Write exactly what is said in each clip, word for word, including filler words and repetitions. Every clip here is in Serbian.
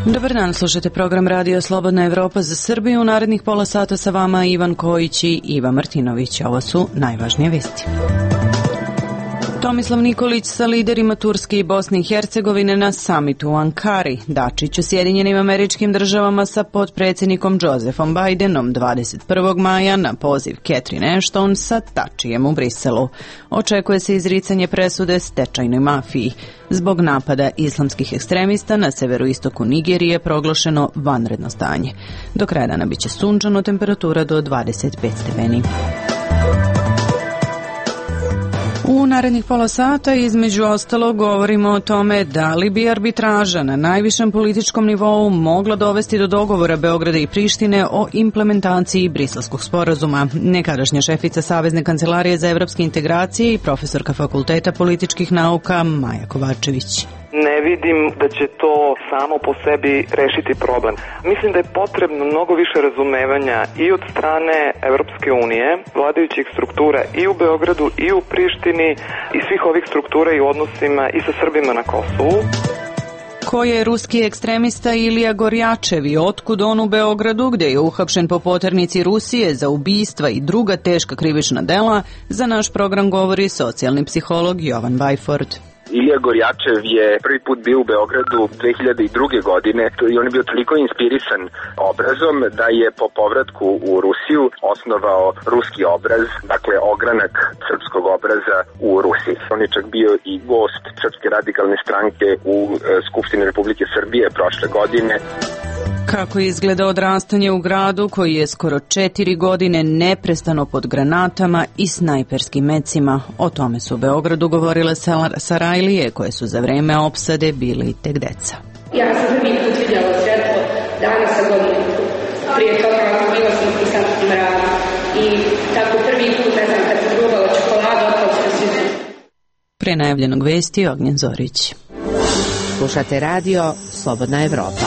Dobar dan, slušate program Radio Slobodna Evropa za Srbiju. U narednih pola sata sa vama Ivan Kojić i Iva Martinović. Ovo su najvažnije vesti. Tomislav Nikolić sa liderima Turske i Bosne i Hercegovine na samitu u Ankari. Dačić u Sjedinjenim Američkim Državama sa potpredsjednikom Josephom Bidenom dvadeset prvog maja na poziv Catherine Ashton sa Tačijem u Briselu. Očekuje se izricanje presude stečajnoj mafiji. Zbog napada islamskih ekstremista na severoistoku Nigerije proglašeno vanredno stanje. Do kraja dana biće sunčano, temperatura do dvadeset pet stepeni. U narednih pola sata između ostalog govorimo o tome da li bi arbitraža na najvišem političkom nivou mogla dovesti do dogovora Beograda i Prištine o implementaciji Briselskog sporazuma. Nekadašnja šefica Savezne kancelarije za evropske integracije i profesorka Fakulteta političkih nauka Maja Kovačević. Ne vidim da će to samo po sebi rešiti problem. Mislim da je potrebno mnogo više razumevanja i od strane Evropske unije, vladajućih struktura i u Beogradu i u Prištini i svih ovih struktura i odnosima i sa Srbima na Kosovu. Ko je ruski ekstremista Ilija Gorjačev i otkud on u Beogradu, gde je uhapšen po poternici Rusije za ubistva i druga teška krivična dela, za naš program govori socijalni psiholog Jovan Vajford. Ilija Gorjačev je prvi put bio u Beogradu dve hiljade druge. godine i on je bio toliko inspirisan obrazom da je po povratku u Rusiju osnovao ruski obraz, dakle ogranak srpskog obraza u Rusiji. On je čak bio i gost Srpske radikalne stranke u Skupštini Republike Srbije prošle godine. Kako izgleda odrastanje u gradu koji je skoro četiri godine neprestano pod granatama i snajperskim mecima? O tome su u Beogradu govorile Sarajlije koje su za vreme opsade bili tek deca. Ja sam prvi put vidjela svetlo danas sa godinu. Prije toga bila sam i sam mrak. I tako prvi put, ne znam, kad sam probala čokoladu, otpao sam svi. Pre najavljenog vesti Ognjen Zorić. Slušate radio Slobodna Evropa.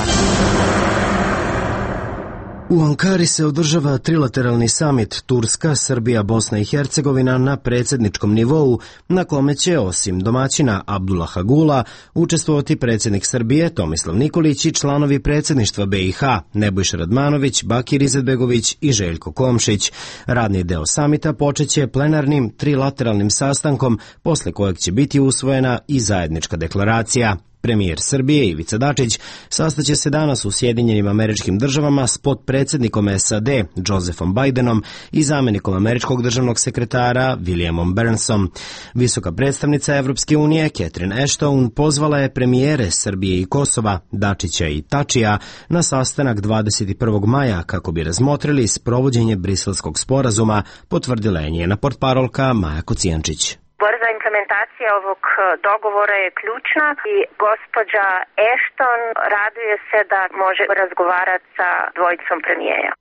U Ankari se održava trilateralni samit Turska, Srbija, Bosna i Hercegovina na predsjedničkom nivou, na kome će osim domaćina Abdullaha Gula učestvovati predsjednik Srbije Tomislav Nikolić i članovi predsjedništva B i H Nebojša Radmanović, Bakir Izetbegović i Željko Komšić. Radni deo samita počeće plenarnim trilateralnim sastankom, posle kojeg će biti usvojena i zajednička deklaracija. Premijer Srbije Ivica Dačić sastaće se danas u Sjedinjenim Američkim Državama s potpredsjednikom S A D Josephom Bidenom i zamjenikom američkog državnog sekretara Williamom Burnsom. Visoka predstavnica Evropske unije Catherine Ashton pozvala je premijere Srbije i Kosova, Dačića i Tačija, na sastanak dvadeset prvog maja kako bi razmotrili sprovođenje Briselskog sporazuma, potvrdila je njena portparolka Maja Kocijančić. Brza implementacija ovog dogovora je ključna i gospođa Ashton raduje se da može razgovarati sa dvojicom premijera.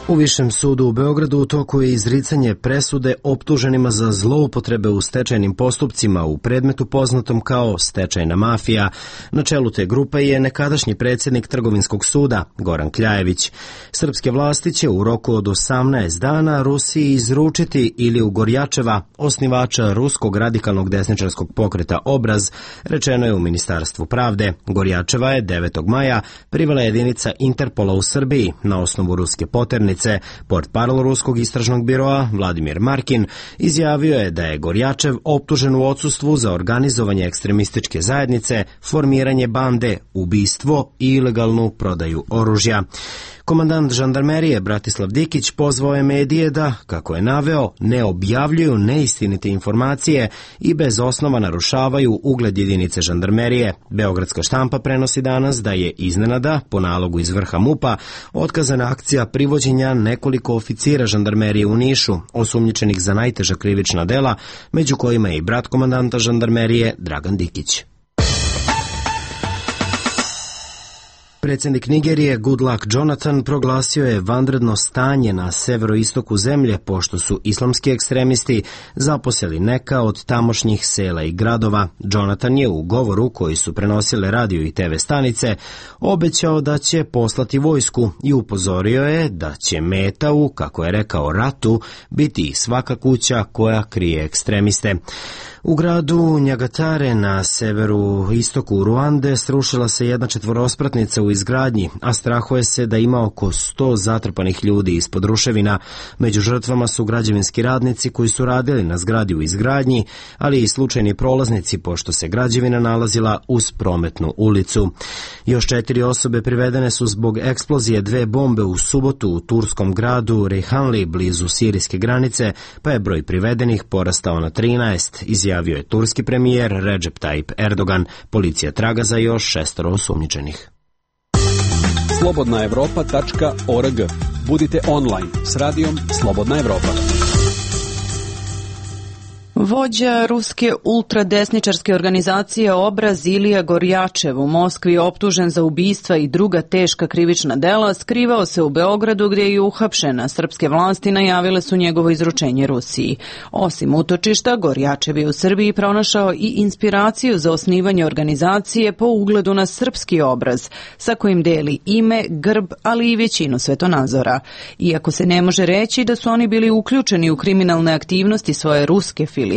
U Višem sudu u Beogradu u toku je izricanje presude optuženima za zloupotrebe u stečajnim postupcima u predmetu poznatom kao stečajna mafija. Na čelu te grupe je nekadašnji predsjednik Trgovinskog suda Goran Kljajević. Srpske vlasti će u roku od osamnaest dana Rusiji izručiti Iliju Gorjačeva, osnivača ruskog radikalnog desničarskog pokreta Obraz, rečeno je u Ministarstvu pravde. Gorjačeva je devetog maja privela jedinica Interpola u Srbiji na osnovu ruske poternice. Portparol ruskog istražnog biroa Vladimir Markin izjavio je da je Gorjačev optužen u odsustvu za organizovanje ekstremističke zajednice, formiranje bande, ubistvo i ilegalnu prodaju oružja. Komandant žandarmerije Bratislav Dikić pozvao je medije da, kako je naveo, ne objavljuju neistinite informacije i bez osnova narušavaju ugled jedinice žandarmerije. Beogradska štampa prenosi danas da je iznenada, po nalogu iz vrha MUP-a, otkazana akcija privođenja nekoliko oficira žandarmerije u Nišu, osumnjičenih za najteža krivična dela, među kojima je i brat komandanta žandarmerije Dragan Dikić. Predsjednik Nigerije Goodluck Jonathan proglasio je vanredno stanje na severoistoku zemlje pošto su islamski ekstremisti zaposeli neka od tamošnjih sela i gradova. Jonathan je u govoru koji su prenosile radio i te ve stanice obećao da će poslati vojsku i upozorio je da će meta u, kako je rekao, ratu biti svaka kuća koja krije ekstremiste. U gradu Njagatare na severu istoku Ruande srušila se jedna četvorospratnica u izgradnji, a strahuje se da ima oko sto zatrpanih ljudi ispod ruševina. Među žrtvama su građevinski radnici koji su radili na zgradi u izgradnji, ali i slučajni prolaznici pošto se građevina nalazila uz prometnu ulicu. Još četiri osobe privedene su zbog eksplozije dve bombe u subotu u turskom gradu Reyhanli blizu sirijske granice, pa je broj privedenih porastao na trinaest, izjavio je turski premijer Recep Tayyip Erdogan. Policija traga za još šestoro osumnjičenih. slobodna evropa tačka org. Budite online s radijom Slobodna Evropa. Vođa ruske ultradesničarske organizacije Obraz Ilija Gorjačev u Moskvi je optužen za ubistva i druga teška krivična dela, skrivao se u Beogradu gdje je uhapšen. Srpske vlasti najavile su njegovo izručenje Rusiji. Osim utočišta, Gorjačev je u Srbiji pronašao i inspiraciju za osnivanje organizacije po ugledu na srpski obraz, sa kojim deli ime, grb, ali i većinu svetonazora. Iako se ne može reći da su oni bili uključeni u kriminalne aktivnosti svoje ruske filijale,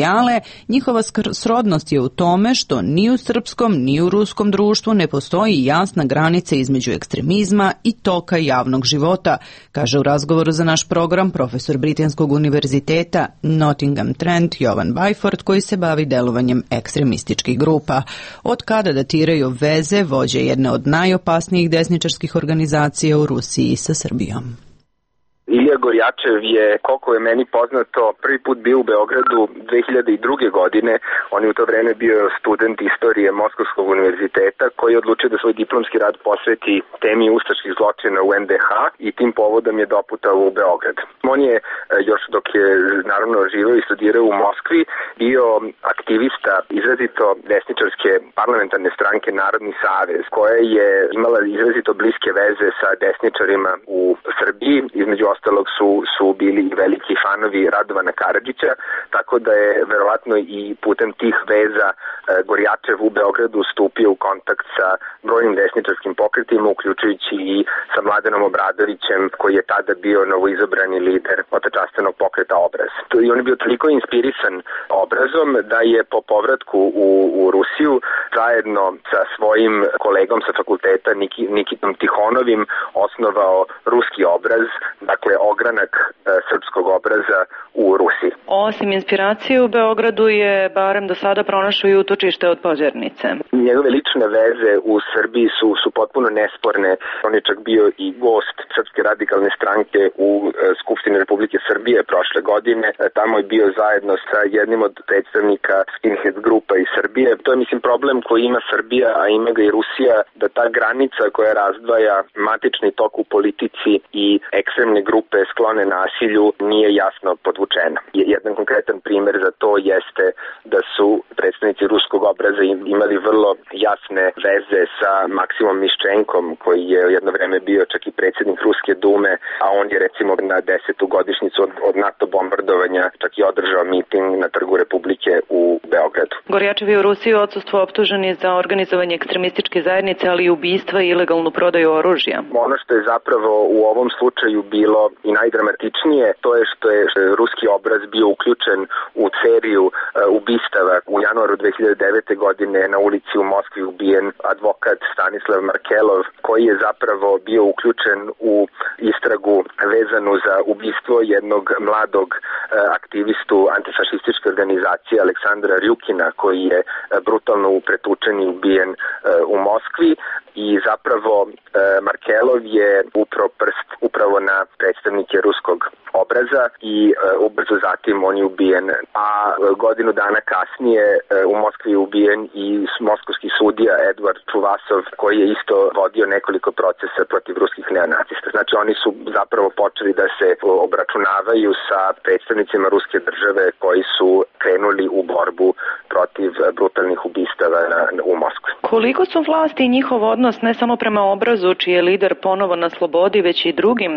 njihova srodnost je u tome što ni u srpskom ni u ruskom društvu ne postoji jasna granica između ekstremizma i toka javnog života, kaže u razgovoru za naš program profesor Britanskog univerziteta Nottingham Trent Jovan Byford, koji se bavi delovanjem ekstremističkih grupa. Od kada datiraju veze vođe jedne od najopasnijih desničarskih organizacija u Rusiji sa Srbijom? Ilija Gorjačev je, koliko je meni poznato, prvi put bio u Beogradu dve hiljade druge. godine. On je u to vreme bio student istorije Moskovskog univerziteta koji je odlučio da svoj diplomski rad posveti temi ustaških zločina u en de ha i tim povodom je doputao u Beograd. On je, još dok je naravno živeo i studirao u Moskvi, bio aktivista izrazito desničarske parlamentarne stranke Narodni savez, koja je imala izrazito bliske veze sa desničarima u Srbiji. Između ostalog su, su bili i veliki fanovi Radovana Karadžića, tako da je verovatno i putem tih veza e, Gorjačev u Beogradu stupio u kontakt sa brojnim desničarskim pokretima, uključujući i sa Mladenom Obradovićem, koji je tada bio novoizabrani lider otečastenog pokreta Obraz. I on je bio toliko inspirisan Obrazom da je po povratku u, u Rusiju zajedno sa svojim kolegom sa fakulteta Niki, Nikitom Tihonovim osnovao ruski Obraz, dakle ogranak e, srpskog obraza u Rusiji. Osim inspiracije u Beogradu je barem do sada pronašao i utočište od Požarnice. Njegove lične veze u Srbiji su, su potpuno nesporne. On je čak bio i gost Srpske radikalne stranke u e, Skupštini Republike Srbije prošle godine. E, tamo je bio zajedno sa jednim od predstavnika skinhead grupa iz Srbije. To je, mislim, problem koji ima Srbija, a ima ga i Rusija, da ta granica koja razdvaja matični tok u politici i ekstremne grupe sklone nasilju nije jasno podvučena. Jedan konkretan primjer za to jeste da su predstavnici ruskog obraza imali vrlo jasne veze sa Maksimom Miščenkom, koji je jedno vreme bio čak i predsjednik Ruske dume, a on je recimo na desetu godišnjicu od, od NATO bombardovanja čak i održao miting na Trgu Republike u Beogradu. Gorjačev je u Rusiji odsustvo optužen je za organizovanje ekstremističke zajednice, ali i ubistva i ilegalnu prodaju oružja. Ono što je zapravo u ovom slučaju bilo i najdramatičnije, to je što je ruski obraz bio uključen u seriju uh, ubistava. U januaru dve hiljade devete. godine na ulici u Moskvi ubijen advokat Stanislav Markelov, koji je zapravo bio uključen u istragu vezanu za ubistvo jednog mladog uh, aktivistu antifašističke organizacije Aleksandra Rjukina, koji je uh, brutalno pretučen i ubijen uh, u Moskvi. I zapravo uh, Markelov je upravo prst upravo na predstavnike ruskog obraza i uh, ubrzo zatim on je ubijen. A uh, godinu dana kasnije uh, u Moskvi je ubijen i moskovski sudija Edward Čuvasov, koji je isto vodio nekoliko procesa protiv ruskih neonacista. Znači oni su zapravo počeli da se obračunavaju sa predstavnicima ruske države koji su krenuli u borbu protiv brutalnih ubistava na, u Moskvi. Koliko su vlasti i njihov odnos ne samo prema obrazu, čiji je lider ponovo na slobodi, već i drugim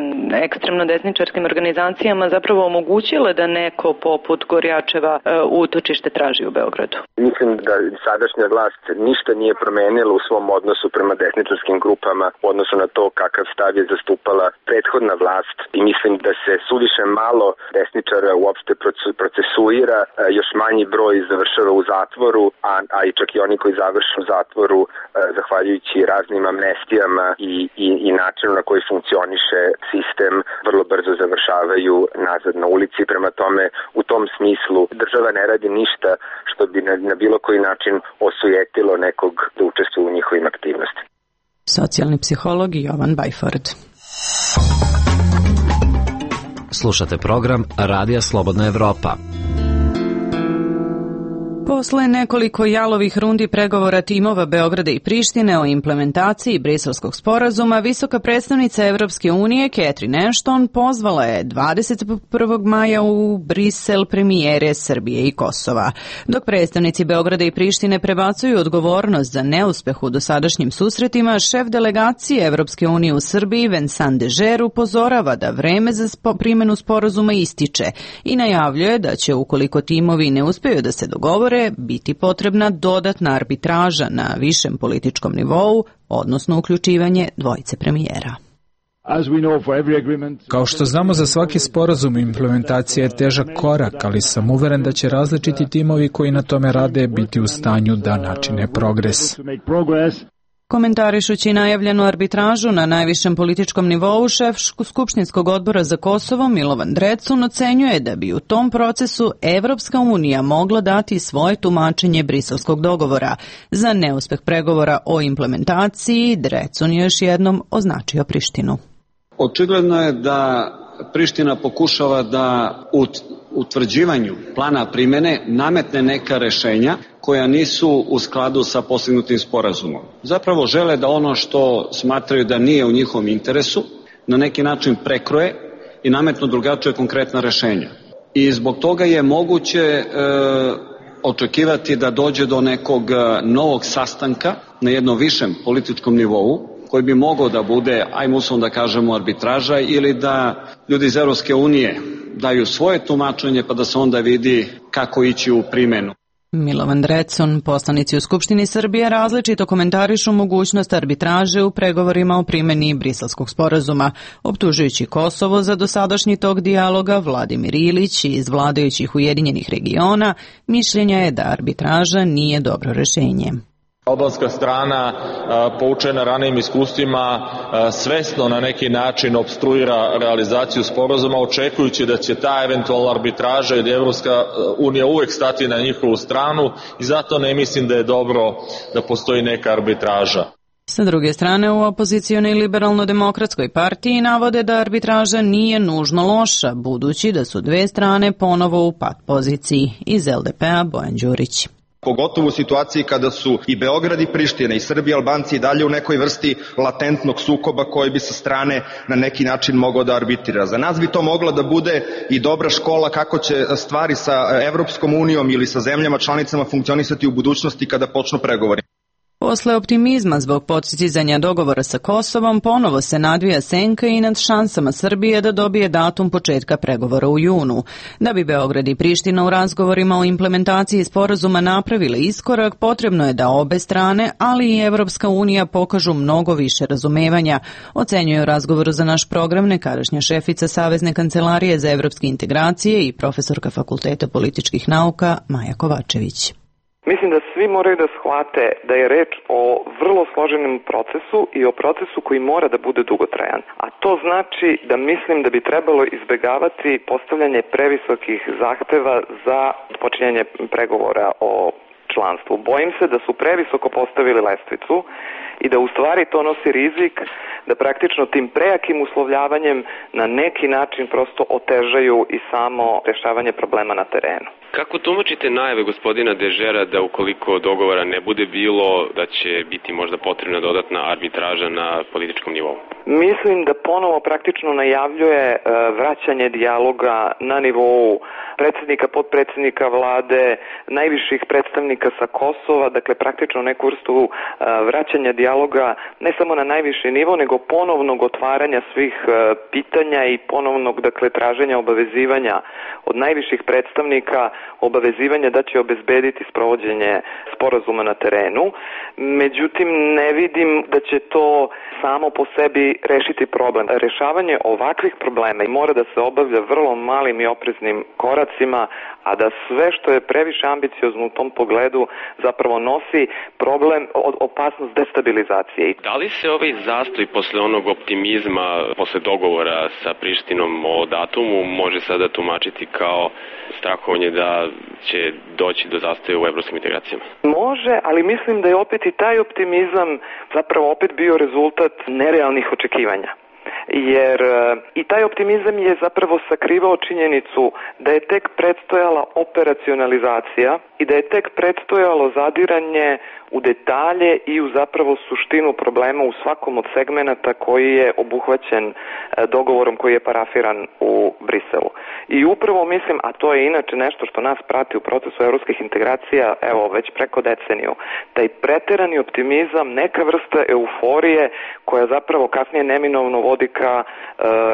ekstremno desničarskim organizacijama zapravo omogućile da neko poput Gorjačeva utočište traži u Beogradu? Mislim da sadašnja vlast ništa nije promenila u svom odnosu prema desničarskim grupama u odnosu na to kakav stav je zastupala prethodna vlast i mislim da se suviše malo desničara uopšte procesuira, još manji broj završava u zatvoru, a, a i čak i oni koji završe u zatvoru zahvaljujući raznim amnestijama i, i, i načinu na koji funkcioniše sistem vrlo brzo završavaju nazad na ulici. Prema tome, u tom smislu država ne radi ništa što bi na, na bilo koji način osujetilo nekog da učestvuje u njihovim aktivnostima. Socijalni psiholog Jovan Bajford. Slušate program Radija Slobodna Evropa. Posle nekoliko jalovih rundi pregovora timova Beograda i Prištine o implementaciji Briselskog sporazuma, visoka predstavnica Evropske unije Catherine Ashton pozvala je dvadeset prvog maja u Brisel premijere Srbije i Kosova. Dok predstavnici Beograda i Prištine prebacuju odgovornost za neuspeh u dosadašnjim susretima, šef delegacije Evropske unije u Srbiji Vincent Dežer upozorava da vreme za primjenu sporazuma ističe i najavljuje da će, ukoliko timovi ne uspeju da se dogovore, biti potrebna dodatna arbitraža na višem političkom nivou, odnosno uključivanje dvojice premijera. Kao što znamo, za svaki sporazum implementacija je težak korak, ali sam uveren da će različiti timovi koji na tome rade biti u stanju da načine progres. Komentarišući najavljenu arbitražu na najvišem političkom nivou, šef Skupštinskog odbora za Kosovo Milovan Drecun ocenjuje da bi u tom procesu Evropska unija mogla dati svoje tumačenje briselskog dogovora. Za neuspeh pregovora o implementaciji Drecun je još jednom označio Prištinu. Očigledno je da Priština pokušava da u utvrđivanju plana primene nametne neka rešenja koja nisu u skladu sa postignutim sporazumom. Zapravo žele da ono što smatraju da nije u njihovom interesu na neki način prekroje i nametnu drugačije konkretna rešenja. I zbog toga je moguće e, očekivati da dođe do nekog novog sastanka na jednom višem političkom nivou, koji bi mogao da bude, ajmo uslovno da kažemo, arbitraža, ili da ljudi iz Evropske unije daju svoje tumačenje pa da se onda vidi kako ići u primenu. Milovan Drecun, poslanici u Skupštini Srbije, različito komentarišu mogućnost arbitraže u pregovorima o primjeni Briselskog sporazuma. Optužujući Kosovo za dosadašnji tok dijaloga, Vladimir Ilić iz vladajućih Ujedinjenih regiona mišljenja je da arbitraža nije dobro rešenje. Albanska strana, poučena ranijim iskustvima, svesno na neki način opstruira realizaciju sporazuma, očekujući da će ta eventualna arbitraža i da Evropska unija uvek stati na njihovu stranu, i zato ne mislim da je dobro da postoji neka arbitraža. Sa druge strane, u opozicionoj liberalno-demokratskoj partiji navode da arbitraža nije nužno loša, budući da su dve strane ponovo u pat poziciji. Iz L D P-a Bojan Đurić. Pogotovo u situaciji kada su i Beograd i Priština i Srbi i Albanci i dalje u nekoj vrsti latentnog sukoba koji bi sa strane na neki način mogao da arbitrira. Za nas bi to mogla da bude i dobra škola kako će stvari sa Evropskom unijom ili sa zemljama članicama funkcionisati u budućnosti kada počnu pregovori. Posle optimizma zbog postizanja dogovora sa Kosovom, ponovo se nadvija senka i nad šansama Srbije da dobije datum početka pregovora u junu. Da bi Beograd i Priština u razgovorima o implementaciji sporazuma napravile iskorak, potrebno je da obe strane, ali i Evropska unija pokažu mnogo više razumevanja, ocenjuje u razgovoru za naš program nekadašnja šefica Savezne kancelarije za evropske integracije i profesorka Fakulteta političkih nauka Maja Kovačević. Mislim da svi moraju da shvate da je reč o vrlo složenom procesu i o procesu koji mora da bude dugotrajan. A to znači da mislim da bi trebalo izbegavati postavljanje previsokih zahteva za počinjanje pregovora o članstvu. Bojim se da su previsoko postavili lestvicu i da u stvari to nosi rizik da praktično tim prejakim uslovljavanjem na neki način prosto otežaju i samo rešavanje problema na terenu. Kako tumačite najave gospodina Dežera da ukoliko dogovora ne bude bilo, da će biti možda potrebna dodatna arbitraža na političkom nivou? Mislim da ponovo praktično najavljuje vraćanje dijaloga na nivou predsjednika, potpredsjednika vlade, najviših predstavnika sa Kosova, dakle praktično neku vrstu vraćanja dijaloga ne samo na najviši nivo, nego ponovnog otvaranja svih pitanja i ponovnog, dakle, traženja obavezivanja od najviših predstavnika, obavezivanja da će obezbediti sprovođenje sporazuma na terenu. Međutim, ne vidim da će to samo po sebi rešiti problem. Rešavanje ovakvih problema mora da se obavlja vrlo malim i opreznim koracima, a da sve što je previše ambiciozno u tom pogledu zapravo nosi problem, opasnost destabilizacije. Da li se ovaj zastoj posle onog optimizma, posle dogovora sa Prištinom o datumu, može sada tumačiti kao strahovanje da će doći do zastoja u evropskim integracijama? Može, ali mislim da je opet i taj optimizam zapravo opet bio rezultat nerealnih očekivanja. Jer i taj optimizam je zapravo sakrivao činjenicu da je tek predstojala operacionalizacija i da je tek predstojalo zadiranje u detalje i u zapravo suštinu problema u svakom od segmenata koji je obuhvaćen dogovorom koji je parafiran u Briselu. I upravo mislim, a to je inače nešto što nas prati u procesu evropskih integracija, evo, već preko deceniju, taj preterani optimizam, neka vrsta euforije koja zapravo kasnije neminovno vodi ka e,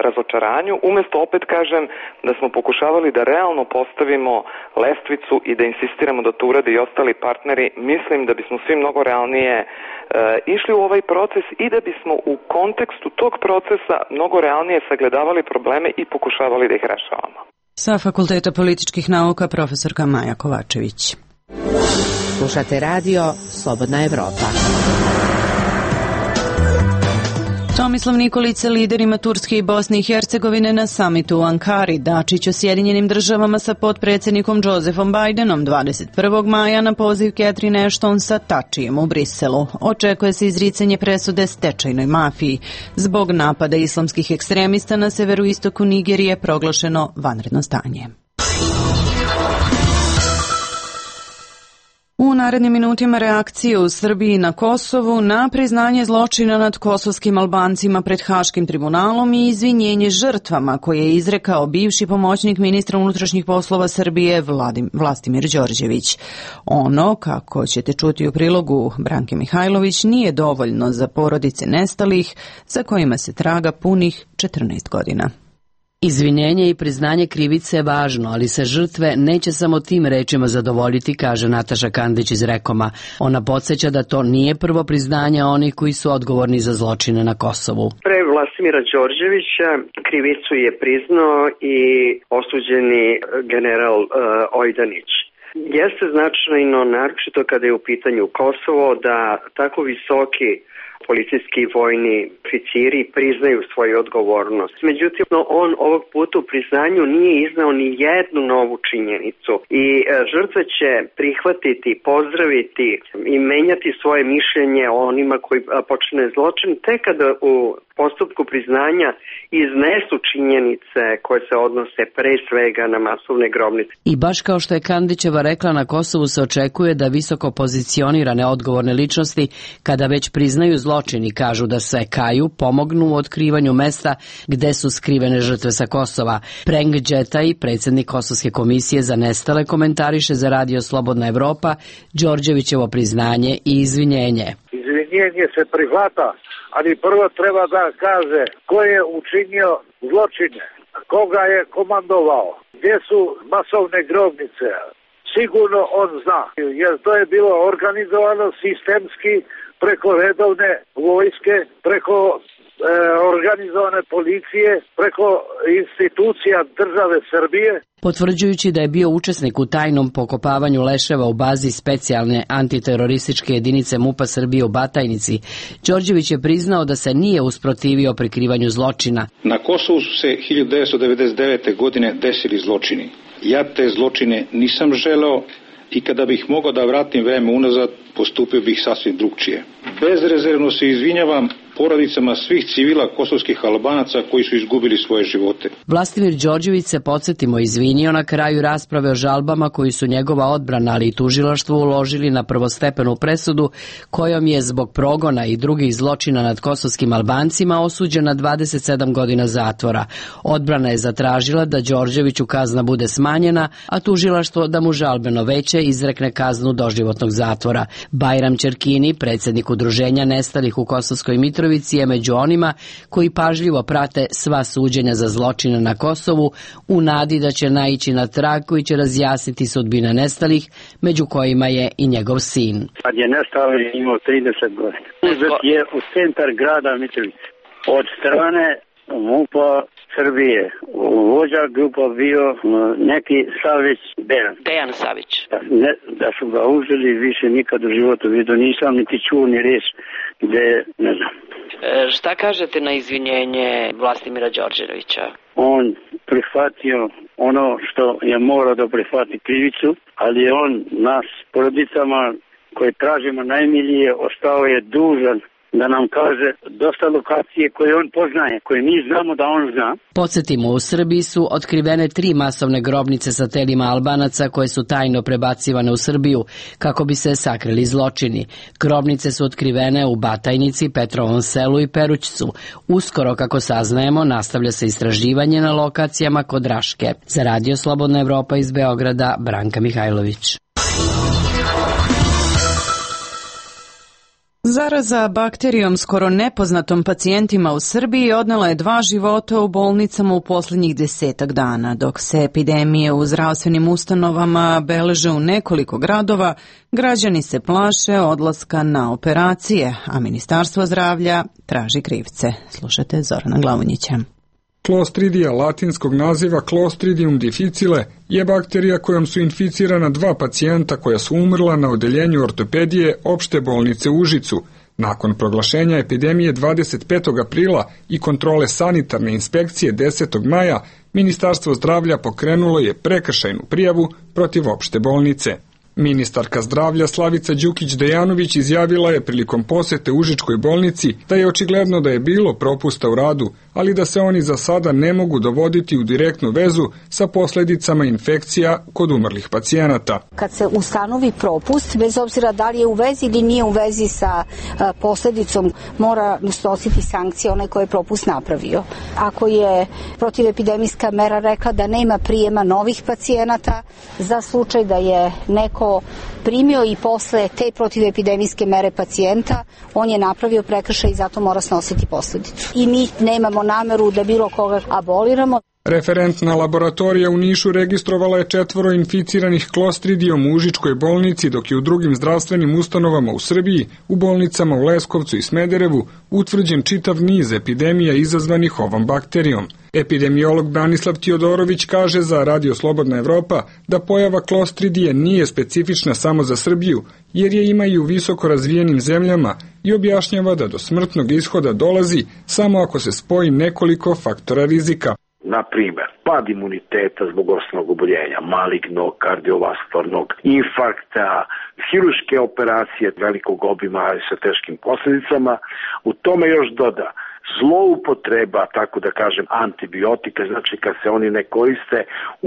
razočaranju, umesto, opet kažem, da smo pokušavali da realno postavimo lestvicu i da insistiramo da to urade i ostali partneri, mislim da bismo svi mnogo realnije e, išli u ovaj proces i da bismo u kontekstu tog procesa mnogo realnije sagledavali probleme i pokušavali da ih rešavamo. Sa Fakulteta političkih nauka profesorka Maja Kovačević. Slušate radio Slobodna Evropa. Tomislav Nikolić, liderima Turske i Bosne i Hercegovine na samitu u Ankari. Dačić o Sjedinjenim državama sa potpredsjednikom Josefom Bidenom dvadeset prvog maja na poziv Catherine Ashton sa Tačijem u Briselu. Očekuje se izricanje presude stečajnoj mafiji. Zbog napada islamskih ekstremista na severoistoku Nigerije proglašeno vanredno stanje. U narednim minutima reakcije u Srbiji na Kosovu na priznanje zločina nad kosovskim Albancima pred Haškim tribunalom i izvinjenje žrtvama koje je izrekao bivši pomoćnik ministra unutrašnjih poslova Srbije Vladim, Vlastimir Đorđević. Ono, kako ćete čuti u prilogu Branke Mihajlović, nije dovoljno za porodice nestalih za kojima se traga punih četrnaest godina. Izvinjenje i priznanje krivice je važno, ali se žrtve neće samo tim rečima zadovoljiti, kaže Nataša Kandić iz Rekoma. Ona podsjeća da to nije prvo priznanje onih koji su odgovorni za zločine na Kosovu. Pre Vlastimira Đorđevića krivicu je priznao i osuđeni general uh, Ojdanić. Jeste značajno, naročito kada je u pitanju Kosovo, da tako visoki policijski i vojni oficiri priznaju svoju odgovornost. Međutim, on ovog puta u priznanju nije iznao ni jednu novu činjenicu i žrtve će prihvatiti, pozdraviti i menjati svoje mišljenje o onima koji počine zločin tek kada u postupku priznanja iznesu činjenice koje se odnose pre svega na masovne grobnice. I baš kao što je Kandićeva rekla, na Kosovu se očekuje da visoko pozicionirane odgovorne ličnosti, kada već priznaju zločin i kažu da se kaju, pomognu u otkrivanju mesta gde su skrivene žrtve sa Kosova. Preng Đetaj, predsjednik Kosovske komisije za nestale, komentariše za radio Slobodna Evropa Đorđevićevo priznanje i izvinjenje. Izvinjenje se prihvata, ali prvo treba da kaže ko je učinio zločine, koga je komandovao, gdje su masovne grobnice. Sigurno on zna, jer to je bilo organizovano sistemski preko redovne vojske, preko e, organizovane policije, preko institucija države Srbije. Potvrđujući da je bio učesnik u tajnom pokopavanju leševa u bazi specijalne antiterorističke jedinice MUP-a Srbije u Batajnici, Đorđević je priznao da se nije usprotivio prikrivanju zločina. Na Kosovu su se hiljadu devetsto devedeset devete. godine desili zločini. Ja te zločine nisam želeo i kada bih mogao da vratim vreme unazad, postupio bih sasvim drugčije. Bezrezervno se izvinjavam porodicama svih civila kosovskih Albanaca koji su izgubili svoje živote. Vlastimir Đorđević se, podsjetimo, izvinio na kraju rasprave o žalbama koji su njegova odbrana, ali i tužilaštvo uložili na prvostepenu presudu kojom je zbog progona i drugih zločina nad kosovskim Albancima osuđen na dvadeset sedam godina zatvora. Odbrana je zatražila da Đorđeviću kazna bude smanjena, a tužilaštvo da mu žalbeno veće izrekne kaznu doživotnog zatvora. Bajram Čerkini, predsjednik Udruženja nestalih u Kosovskoj Mitrovici, je među onima koji pažljivo prate sva suđenja za zločine na Kosovu u nadi da će naići na trag koji će razjasniti sudbine nestalih, među kojima je i njegov sin. Kad je nestao je imao trideset godina. Uzet je u centar grada Mitrovice. Od strane MUP-a Srbije. Vođa grupa bio neki Savić Dejan. Dejan Savić. Ne, da su ga uzeli, više nikad u životu vidio nisam, niti čuo ni reč gde, ne znam. E, šta kažete na izvinjenje Vlastimira Đorđevića? On prihvatio ono što je morao da prihvati krivicu, ali je on nas, porodicama koje tražimo najmilije, ostao je dužan da nam kaže dosta lokacije koje on poznaje, koje mi znamo da on zna. Podsjetimo, u Srbiji su otkrivene tri masovne grobnice sa telima Albanaca koje su tajno prebacivane u Srbiju kako bi se sakrili zločini. Grobnice su otkrivene u Batajnici, Petrovom selu i Perućcu. Uskoro, kako saznajemo, nastavlja se istraživanje na lokacijama kod Raške. Za Radio Slobodna Evropa iz Beograda, Branka Mihajlović. Zaraza bakterijom skoro nepoznatom pacijentima u Srbiji odnela je dva života u bolnicama u posljednjih desetak dana. Dok se epidemije u zdravstvenim ustanovama beleže u nekoliko gradova, građani se plaše odlaska na operacije, a Ministarstvo zdravlja traži krivce. Slušajte Zorana Glavonjića. Clostridija latinskog naziva Clostridium difficile je bakterija kojom su inficirana dva pacijenta koja su umrla na odeljenju ortopedije opšte bolnice u Užicu. Nakon proglašenja epidemije dvadeset petog aprila i kontrole sanitarne inspekcije desetog maja, Ministarstvo zdravlja pokrenulo je prekršajnu prijavu protiv opšte bolnice. Ministarka zdravlja Slavica Đukić-Dejanović izjavila je prilikom posete Užičkoj bolnici da je očigledno da je bilo propusta u radu, ali da se oni za sada ne mogu dovoditi u direktnu vezu sa posledicama infekcija kod umrlih pacijenata. Kad se ustanovi propust, bez obzira da li je u vezi ili nije u vezi sa posledicom, mora snositi sankcije onaj koji je propust napravio. Ako je protivepidemijska mera rekla da nema prijema novih pacijenata za slučaj da je neko primio i posle te protivepidemijske mere pacijenta, on je napravio prekršaj i zato mora snositi posledicu. I mi nemamo nameru da bilo koga aboliramo. Referentna laboratorija u Nišu registrovala je četvoro inficiranih klostridijom u Užičkoj bolnici, dok je u drugim zdravstvenim ustanovama u Srbiji, u bolnicama u Leskovcu i Smederevu, utvrđen čitav niz epidemija izazvanih ovom bakterijom. Epidemiolog Branislav Tiodorović kaže za Radio Slobodna Evropa da pojava klostridije nije specifična samo za Srbiju, jer je ima i u visoko razvijenim zemljama i objašnjava da do smrtnog ishoda dolazi samo ako se spoji nekoliko faktora rizika. Na primer, pad imuniteta zbog osnovnog oboljenja, malignog, kardiovaskularnog, infarkta, hiruške operacije velikog obima sa teškim posljedicama. U tome još doda zloupotreba, tako da kažem, antibiotika, znači kad se oni ne koriste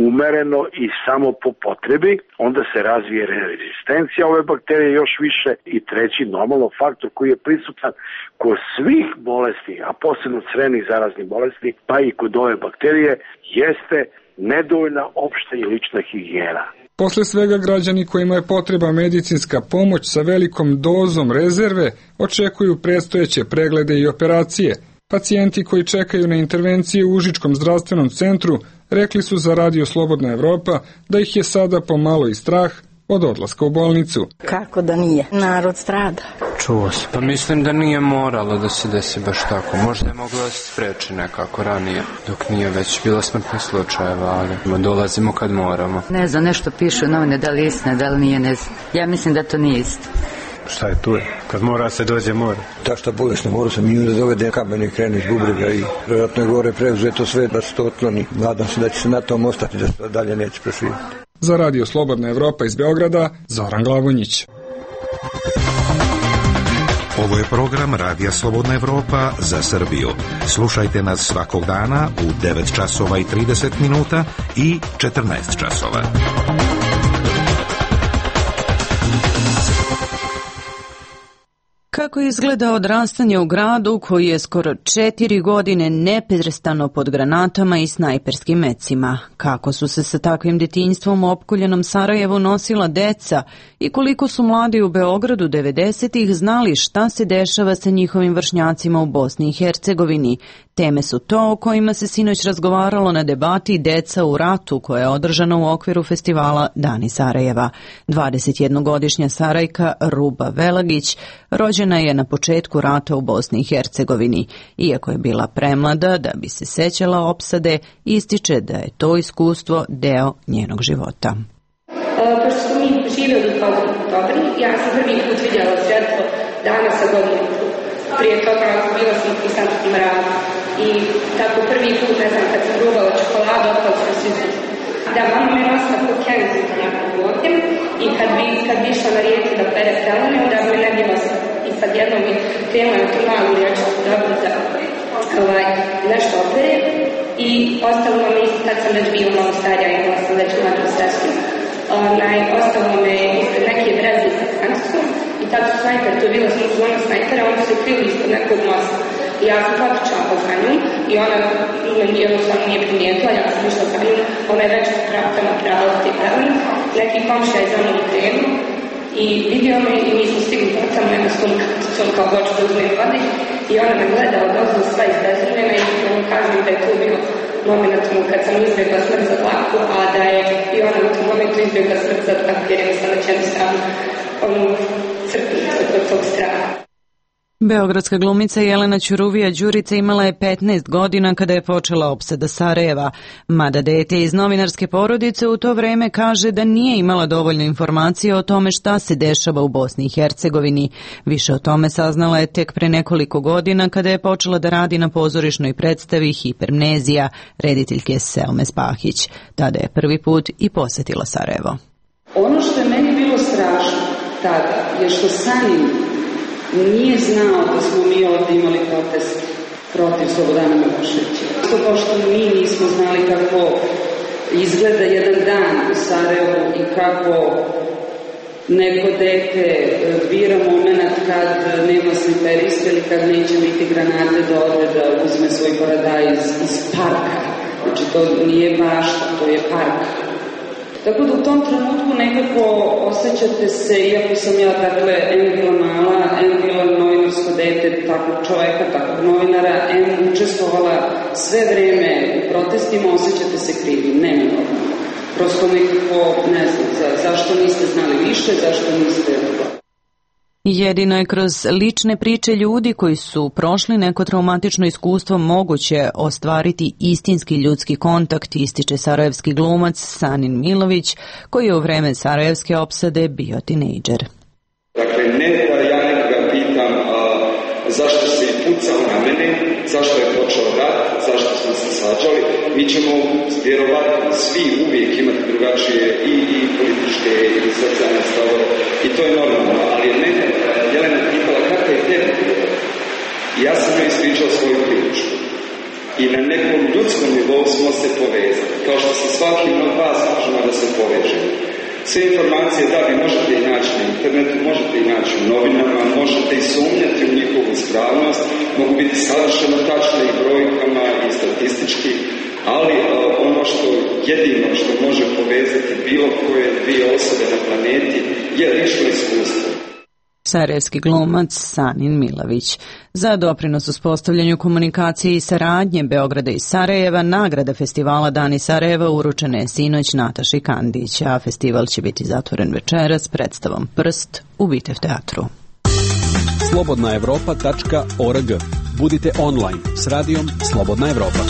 umereno i samo po potrebi, onda se razvije rezistencija ove bakterije još više. I treći normalno faktor koji je prisutan kod svih bolesti, a posebno crevnih zaraznih bolesti, pa i kod ove bakterije, jeste nedovoljna opšta i lična higijena. Posle svega, građani kojima je potreba medicinska pomoć sa velikom dozom rezerve očekuju predstojeće preglede i operacije. Pacijenti koji čekaju na intervencije u Užičkom zdravstvenom centru rekli su za Radio Slobodna Evropa da ih je sada pomalo i strah od odlaska u bolnicu. Kako da nije? Narod strada. Čuo se. Pa mislim da nije moralo da se desi baš tako. Možda je moglo da se spreči nekako ranije, dok nije već bilo smrtnih slučajeva, ali dolazimo kad moramo. Ne znam, nešto piše u novine, da li je istina, da li nije, ne znam. Ja mislim da to nije istina. Šta je tu je? Kad mora se dođe, mora. Ta šta bolesno, mora se minju da dovede kamen i krene iz bubrega i vjerojatno je gore preuzeto sve da se to otkloni. Nadam se da će se na tom ostati, da se dalje neće proširiti. Za Radio Slobodna Evropa iz Beograda, Zoran Glavonjić. Ovo je program Radija Slobodna Evropa za Srbiju. Slušajte nas svakog dana u devet časova i trideset minuta i četrnaest časova. Kako izgleda odrastanje u gradu koji je skoro četiri godine neprestano pod granatama i snajperskim mecima? Kako su se sa takvim detinjstvom u opkoljenom Sarajevu nosila deca i koliko su mladi u Beogradu devedesetih znali šta se dešava sa njihovim vršnjacima u Bosni i Hercegovini? Teme su to o kojima se sinoć razgovaralo na debati Deca u ratu koja je održana u okviru festivala Dani Sarajeva. dvadesetjednogodišnja Sarajka Ruba Velagić rođena je na početku rata u Bosni i Hercegovini. Iako je bila premlada da bi se sećala opsade, ističe da je to iskustvo deo njenog života. E, pošto smo mi živjeli kao dobri, ja sam prvi put vidjela svjetlo dana sa godinu. Prije toga bila sam u konstantnom radu. I tako prvi put, ne znam, kad sam rubala čokoladu, otpala sam svi zid. Da, mama me nosila po Kenzitu nekog godin i kad bi, kad bi išla na rijeci da pere pelene, onda bi me ne bi nosila. I sad jednom mi krenula na tu malu riječku dobu za ovaj, nešto opere i ostalo me isto, kad sam već bila malo starija, imala sam već mladu sestru, onaj, ostalo me ispred neke breze sa Francuskom i tad su snajper, to je bila sam zona snajpera, oni su krili ispod nekog mosta. I ja sam potičala po za njom i ona meni jednostavno nije primijetila, ja sam išla za njom, ona je već prema prava te pelene, neki komšija je za mnom krenuo i vidio me i mi smo stigli tamo jedna sumka kao hoću da uzmem vode i ona me gleda od ozdu sva izbezrvena i ona kaže mi da je to bilo moment kad sam izbjegla smrt za dlaku, a da je i ona u tom momentu izbjegla smrt za dlaku jer je sam već jednostavno onu crpnicu od tog straha. Beogradska glumica Jelena Ćuruvija Đurica imala je petnaest godina kada je počela opsada Sarajeva, mada dete iz novinarske porodice u to vreme kaže da nije imala dovoljno informacije o tome šta se dešava u Bosni i Hercegovini. Više o tome saznala je tek pre nekoliko godina kada je počela da radi na pozorišnoj predstavi Hipermnezija rediteljke Selme Spahić. Tada je prvi put i posetila Sarajevo. Ono što je meni bilo strašno tada je što Sanin nije znao da smo mi ovdje imali protest protiv Slobodana Miloševića. To pošto mi nismo znali kako izgleda jedan dan u Sarajevu i kako neko dete bira moment kad nema sniperiste ili kad neće biti granate da ode da uzme svoj paradaj iz, iz parka. Znači to nije bašta, to je park. Tako da u tom trenutku nekako osjećate se, iako sam ja, dakle, em bila mala, em bila novinarsko dete takvog čoveka, takvog novinara, em učestvovala sve vreme u protestima, osjećate se krivim, neminovno. Prosto nekako, ne znam, za, zašto niste znali više, zašto niste... Jedino je kroz lične priče ljudi koji su prošli neko traumatično iskustvo moguće ostvariti istinski ljudski kontakt, ističe sarajevski glumac Sanin Milović, koji je u vreme sarajevske opsade bio tinejdžer. Dakle, ne da ja nekoga pitam a, zašto se i pucao na mene, zašto je počeo rat, zašto smo se sađali, mi ćemo vjerovatno svi uvijek imati drugačije i, i političke i socijalne stavove i to je normalno, ali je mene Jelena pitala kako je tebi bilo. I ja sam joj ispričao svoju priču. I na nekom ljudskom nivou smo se povezali, kao što se svakim od vas možemo da se povežemo. Sve informacije, da, vi možete ih naći na internetu, možete ih naći u novinama, možete i sumnjati u njihovu ispravnost, mogu biti savršeno tačne i brojkama i statistički, ali uh, ono što jedino što može povezati bilo koje dvije osobe na planeti je lično iskustvo. Sarajevski glumac Sanin Milović. Za doprinos uspostavljanju komunikacije i saradnje Beograda i Sarajeva, nagrada festivala Dani Sarajeva uručena je sinoć Nataši Kandić, a festival će biti zatvoren večeras predstavom Prst u Bitev teatru. slobodna evropa tačka org. Budite online s radijom Slobodna Evropa.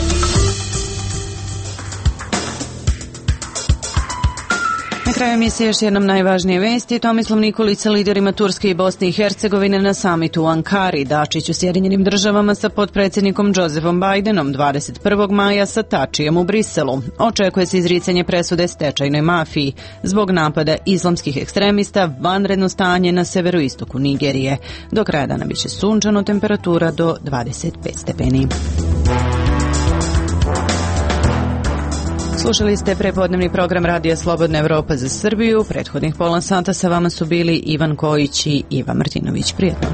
kraju emisije još jednom najvažnije vesti. Tomislav Nikolić sa liderima Turske i Bosne i Hercegovine na samitu u Ankari, Dačić u Sjedinjenim državama sa potpredsjednikom Josefom Bidenom dvadeset prvog maja sa Tačijem u Briselu. Očekuje se izricanje presude stečajnoj mafiji zbog napada islamskih ekstremista, vanredno stanje na severoistoku Nigerije. Do kraja dana biće sunčano, temperatura do dvadeset pet stepeni. Slušali ste prepodnevni program Radija Slobodna Evropa za Srbiju. Prethodnih pola sata sa vama su bili Ivan Kojić i Iva Martinović. Prijetno.